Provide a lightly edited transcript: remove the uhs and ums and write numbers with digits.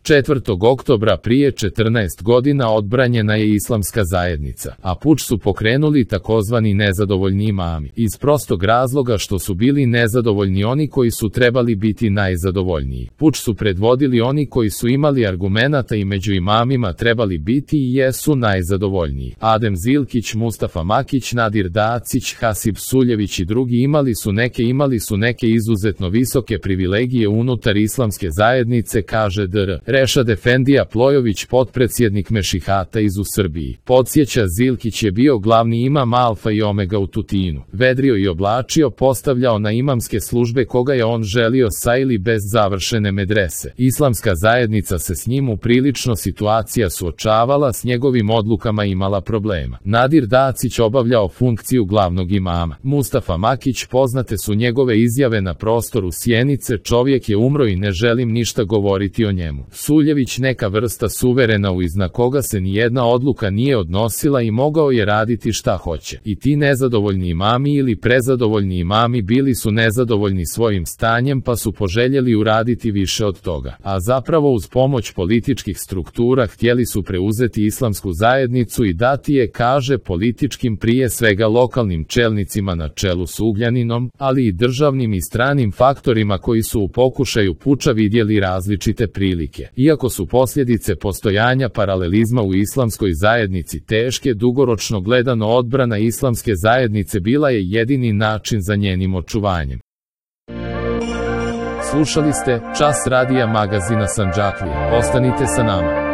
4. oktobra prije 14 godina odbranjena je islamska zajednica, a puč su pokrenuli takozvani nezadovoljni imami, iz prostog razloga što su bili nezadovoljni oni koji su trebali biti najzadovoljniji. Puč su predvodili oni koji su imali argumenata i među imamima trebali biti i jesu najzadovoljniji. Adem Zilkić, Mustafa Makić, Nadir Dacić, Hasib Suljević i drugi imali su neke izuzetno visoke privilegije unutar islamske zajednice, kaže dr. Rešad Efendija Plojović, potpredsjednik Mešihata iz u Srbiji. Podsjeća, Zilkić je bio glavni imam alfa i omega u Tutinu. Vedrio i oblačio, postavljao na imamske službe koga je on želio sa ili bez završene medrese. Islamska zajednica se s njim u prilično situacija suočavala, s njegovim odlukama imala problema. Nadir Dacić obavljao funkciju glavnog imama. Mustafa Makić, poznate su njegove izjave na prostoru Sjenice, čovjek je umro i ne želim ništa govoriti o njemu. Suljević, neka vrsta suverena iznad koga se nijedna odluka nije odnosila i mogao je raditi šta hoće. I ti nezadovoljni imami ili prezadovoljni imami bili su nezadovoljni svojim stanjem pa su poželjeli uraditi više od toga. A zapravo uz pomoć političkih struktura htjeli su preuzeti islamsku zajednicu i dati je, kaže, političkim, prije svega lokalnim čelnicima na čelu s Ugljaninom, ali i državnim i stranim faktorima koji su u pokušaju puča vidjeli različite prilike. Iako su posljedice postojanja paralelizma u islamskoj zajednici teške, dugoročno gledano odbrana islamske zajednice bila je jedini način za njenim očuvanjem. Slušali ste Čas radija magazina Sandžaklija. Ostanite sa nama.